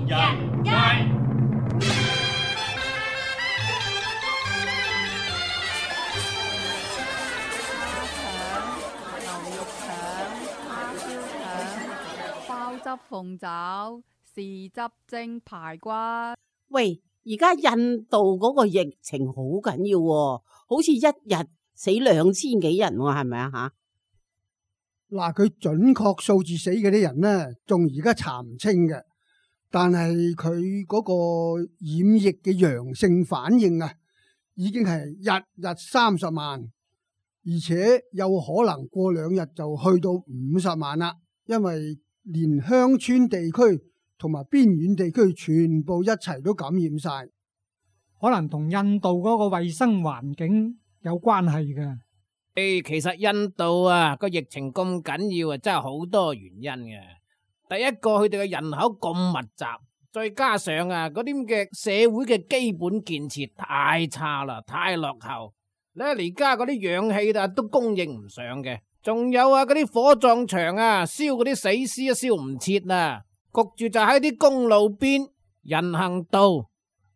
人街。牛肉腸、叉燒腸、鮑汁鳳爪、豉汁蒸排骨。喂，而家印度嗰個疫情好緊要喎，好似一日死2000幾人喎，係咪啊吓？嗱，佢準確數字死嗰啲人呢，仲而家查唔清嘅，但係佢嗰個染疫嘅陽性反應啊，已經係日日30萬，而且有可能過2日就去到50萬啦，因為連鄉村地區同埋邊遠地區全部一齊都感染晒，可能同印度嗰個衛生環境有關係嘅。其實印度啊個疫情咁緊要啊，真係好多原因嘅。第一個，佢哋嘅人口咁密集，再加上啊嗰啲嘅社會嘅基本建設太差啦，太落後咧，而家嗰啲氧氣啊都供應唔上嘅。仲有啊嗰啲火葬場啊燒嗰啲死屍啊燒唔切啊，焗住就喺啲公路邊、人行道，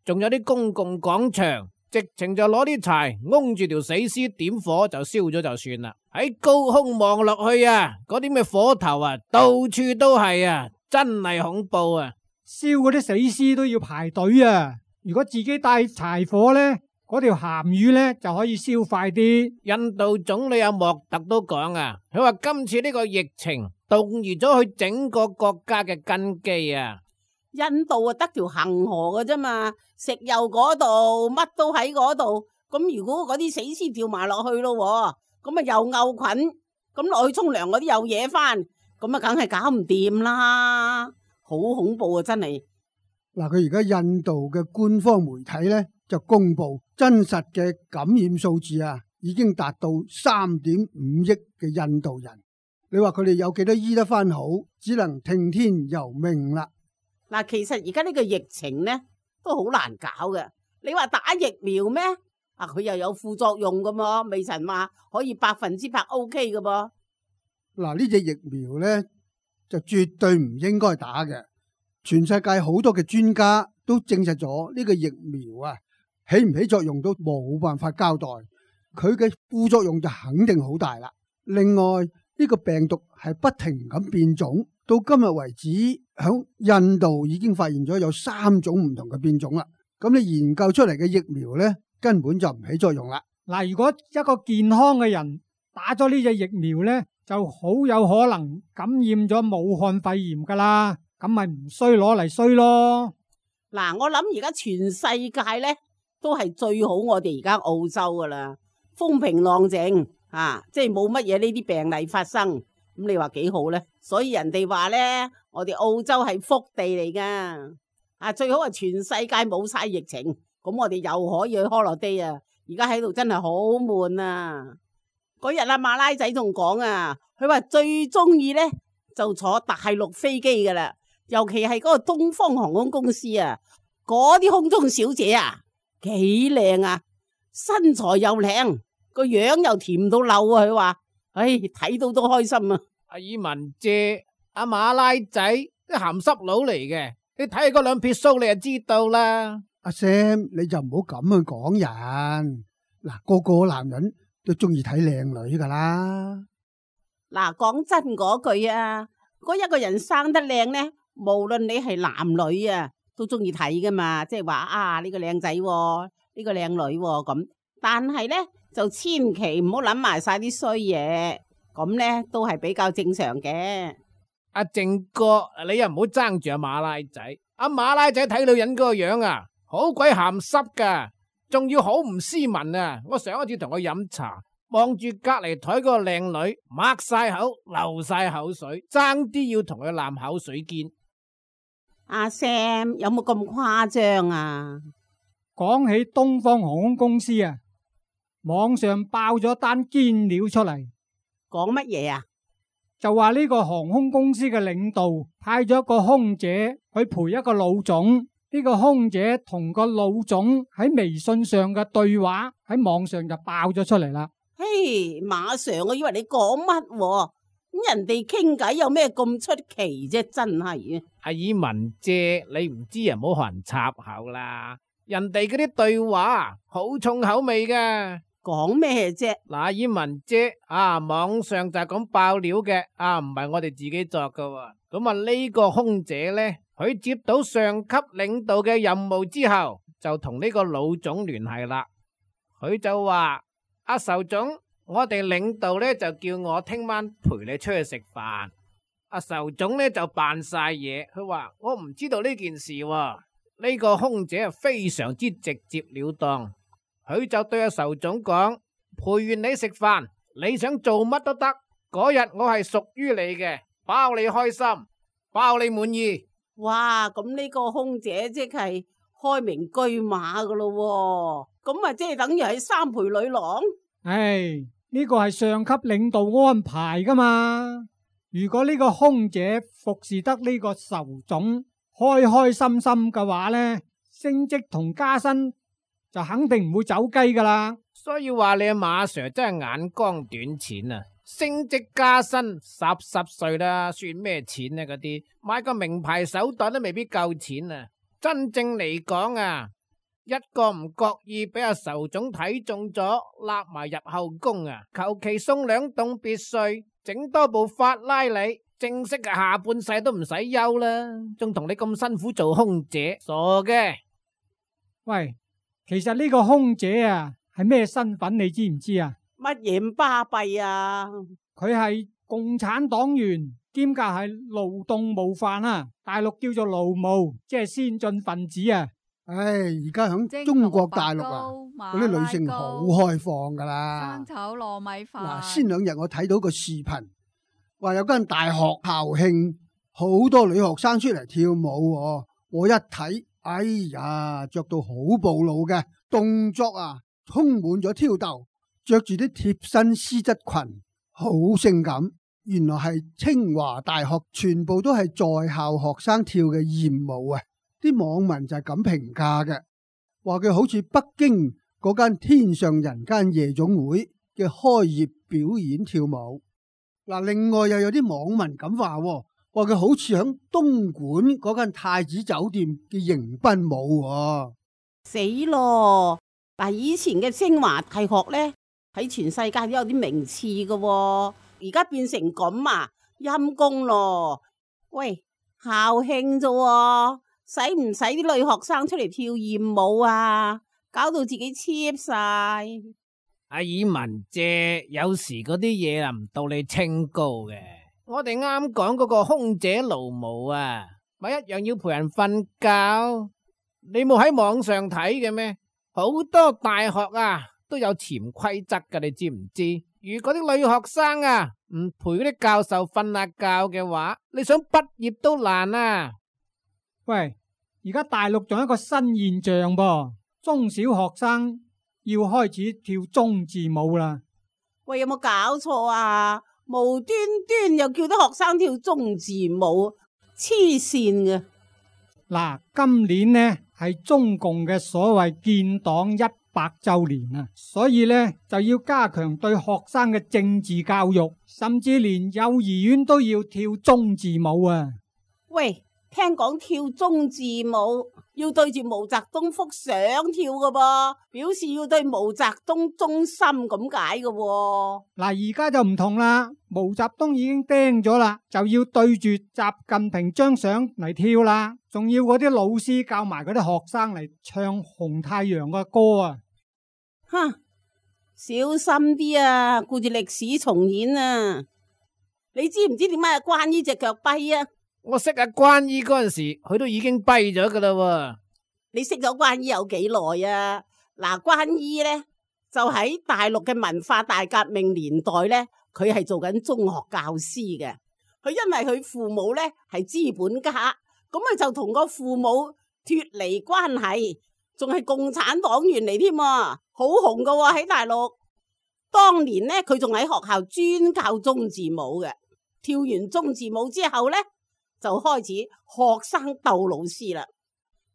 仲有啲公共廣場。直情就攞啲柴擁住條死屍點火就燒咗就算啦。喺高空望落去啊，嗰啲咩火頭啊，到處都係啊，真係恐怖啊！燒嗰啲死屍都要排隊啊！如果自己帶柴火呢，嗰條鹹魚呢就可以燒快啲。印度總理阿莫特都講啊，佢話今次呢個疫情動搖咗佢整個國家嘅根基啊！印度啊，得條恒河嘅啫嘛，石油嗰度乜都喺嗰度。咁如果嗰啲死屍掉埋落去咯，咁啊又漚菌，咁落去沖涼嗰啲又惹翻，咁啊梗係搞唔掂啦，好恐怖啊！真係。嗱，佢而家印度嘅官方媒體呢，就公布真實嘅感染數字啊，已經達到3.5億嘅印度人。你話佢哋有幾多醫得翻好，只能聽天由命啦。嗱，其實而家呢個疫情呢都好難搞嘅。你話打疫苗咩？啊，佢又有副作用噶嘛，未曾話可以100%OK 嘅噃。嗱，呢隻疫苗呢就絕對唔應該打嘅。全世界好多嘅專家都證實咗呢個疫苗啊，起唔起作用都冇辦法交代。佢嘅副作用就肯定好大啦。另外呢個病毒係不停咁變種。到今日為止，響印度已經發現咗有3種唔同嘅變種啦。咁你研究出嚟嘅疫苗呢，根本就唔起作用啦。嗱，如果一個健康嘅人打咗呢隻疫苗呢，就好有可能感染咗武漢肺炎噶啦，咁咪唔衰攞嚟衰咯。嗱，我諗而家全世界呢都係最好，我哋而家澳洲噶啦，風平浪靜啊，即係冇乜嘢呢啲病例發生。咁你話幾好呢？所以人哋話呢，我哋澳洲係福地嚟噶，啊最好係全世界冇晒疫情，咁我哋又可以去 holiday 啊！而家喺度真係好悶啊！嗰日阿馬拉仔仲講啊，佢話最中意呢就坐大陸飛機噶啦，尤其係嗰個東方航空公司啊，嗰啲空中小姐啊幾靚啊，身材又靚，個樣又甜到漏啊！佢話。唉，睇到都開心啊！阿爾文姐、阿馬拉仔啲鹹濕佬嚟嘅，你睇嗰兩撇鬚你就知道啦。阿 Sam，你就唔好咁去講人。嗱，個個男人都中意睇靚女噶啦。嗱，講真嗰句啊，嗰一個人生得靚呢，無論你係男女啊，都中意睇噶嘛。即係話啊，呢個靚仔，呢個靚女咁。但係呢，就千祈唔好諗埋晒啲衰嘢，咁呢都係比較正常嘅。阿靜哥，你又唔好爭住阿馬拉仔。阿馬拉仔睇女人嗰個樣啊，好鬼鹹濕噶，仲要好唔斯文啊！我上一次同佢飲茶，望住隔籬台嗰個靚女，擘晒口，流晒口水，爭啲要同佢攬口水肩。阿 Sam 有冇咁誇張啊？講起東方航空公司啊，網上爆咗單堅料出嚟，講乜嘢啊？就話呢個航空公司嘅領導派咗一個空姐去陪一個老總，呢個空姐同個老總喺微信上嘅對話喺網上就爆咗出嚟啦。嘿，馬上我以為你講乜喎？咁人哋傾偈有咩咁出奇啫？真係啊！阿爾文姐，你唔知啊，唔好學人插口啦。人哋嗰啲對話好重口味噶。講咩啫？嗱，阿爾文姐網上就係咁爆料嘅，唔係我哋自己作噶。咁呢個空姐呢，佢接到上級領導嘅任務之後，就同呢個老總聯繫啦。佢就話：阿仇總，我哋領導呢就叫我聽晚陪你出去食飯。阿仇總呢就扮晒嘢，佢話我唔知道呢件事喎。呢個空姐啊非常之直接了當，佢就對阿仇總講：陪完你食飯，你想做乜都得，嗰日我係屬於你嘅，包你開心，包你滿意。哇！咁呢個空姐即係開明車馬噶咯，咁啊即係等於係三陪女郎。唉，呢個係上級領導安排噶嘛。如果呢個空姐服侍得呢個仇總開開心心嘅話呢，升職同加薪就肯定唔會走雞噶啦。所以話你阿馬 Sir 真係眼光短淺啊！升職加薪十歲啦，算咩錢啊？嗰啲買個名牌手袋都未必夠錢啊！真正嚟講啊，一個唔覺意俾阿仇總睇中咗，揦埋入後宮啊，求其送2棟別墅，整多部法拉利，正式嘅下半世都唔使憂啦，仲同你咁辛苦做空姐，傻嘅。喂，其實呢個空姐啊係咩身份你知唔知啊？乜嘢咁巴閉啊？佢係共產黨員，兼夾係勞動模範啊！大陸叫做勞模，即係先進分子啊！唉，而家響中國大陸啊，嗰啲女性好開放噶啦。生炒糯米飯。嗱，先2日我睇到個視頻，話有間大學校慶，好多女學生出嚟跳舞喎。我一睇，哎呀，着到好暴露嘅動作啊，充滿咗挑逗。着住啲貼身絲質裙，好性感。原來係清華大學全部都係在校學生跳嘅艷舞啊！啲網民就係咁評價嘅，話佢好似北京嗰間天上人間夜總會嘅開業表演跳舞。嗱，另外又有啲網民咁話，話佢好似響東莞嗰間太子酒店嘅迎賓舞。死咯！嗱，以前嘅清華大學呢，喺全世界都有啲名次嘅，而家變成咁啊，陰公咯！喂，校慶啫，使唔使啲女學生出嚟跳艷舞啊？搞到自己 cheap 晒。阿爾文姐，有時嗰啲嘢啊唔到你清高嘅。我哋啱講嗰個空姐勞模啊，咪一樣要陪人瞓覺。你冇喺網上睇嘅咩？好多大學啊都有潛規則噶，你知唔知？如果啲女學生啊唔陪嗰啲教授瞓下覺嘅話，你想畢業都難啊！喂，而家大陸仲有一個新現象噃，中小學生要開始跳中字舞啦。喂，有冇搞錯啊？無端端又叫啲學生跳中字舞，黐線嘅。嗱，今年呢係中共嘅所謂建黨100周年啊，所以呢就要加強對學生嘅政治教育，甚至連幼兒園都要跳中字舞啊。喂，聽講跳中字舞要對住毛澤東幅相跳㗎噃，表示要對毛澤東忠心咁解嘅。嗱，而家就唔同啦，毛澤東已經釘咗啦，就要對住習近平張相嚟跳啦，仲要嗰啲老師教埋嗰啲學生嚟唱紅太陽嘅歌啊！哼，小心啲啊，顧住歷史重演啊！你知唔知點解關於隻腳跛啊？我識阿關姨嗰陣時，佢都已經跛咗噶啦。你識咗關姨有幾耐啊？嗱，關姨呢，就喺大陸嘅文化大革命年代呢，佢係做緊中學教師嘅。佢因為佢父母呢係資本家，咁佢就同個父母脫離關係，仲係共產黨員嚟添啊，好紅噶喎喺大陸。當年呢，佢仲喺學校專教中字舞嘅。跳完中字舞之後呢，就開始學生鬥老師啦。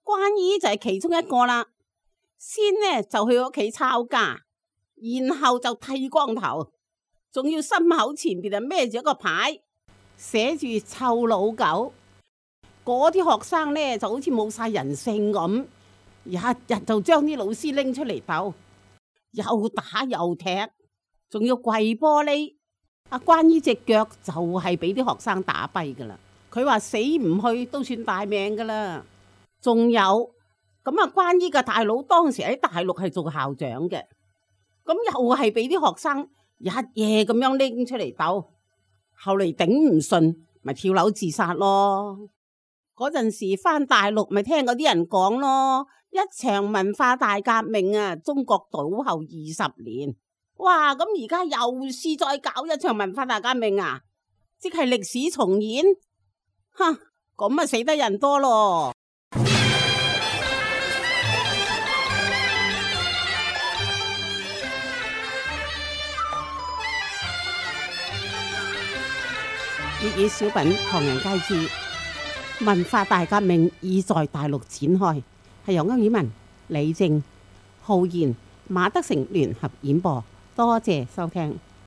關姨就係其中一個啦。先呢就去屋企抄家，然後就剃光頭，仲要心口前邊啊孭住一個牌，寫住臭老狗。嗰啲學生呢就好似冇晒人性咁，日日就將啲老師拎出嚟鬥，又打又踢，仲要跪玻璃。阿關姨隻腳就係俾啲學生打跛噶啦，佢話死唔去都算大命噶啦。仲有咁啊，關姨嘅大佬當時喺大陸係做校長嘅，咁又係俾啲學生日夜咁樣拎出嚟鬥，後嚟頂唔順咪跳樓自殺咯。嗰陣時返大陸咪聽嗰啲人講咯，一場文化大革命啊，中國倒後20年。哇！咁而家又試再搞一場文化大革命啊，即係歷史重演。哼，咁啊死得人多咯。粵語小品唐人街之文化大革命已在大陸展開，係由歐爾文、李正、浩然、馬德成聯合演播。多謝收聽。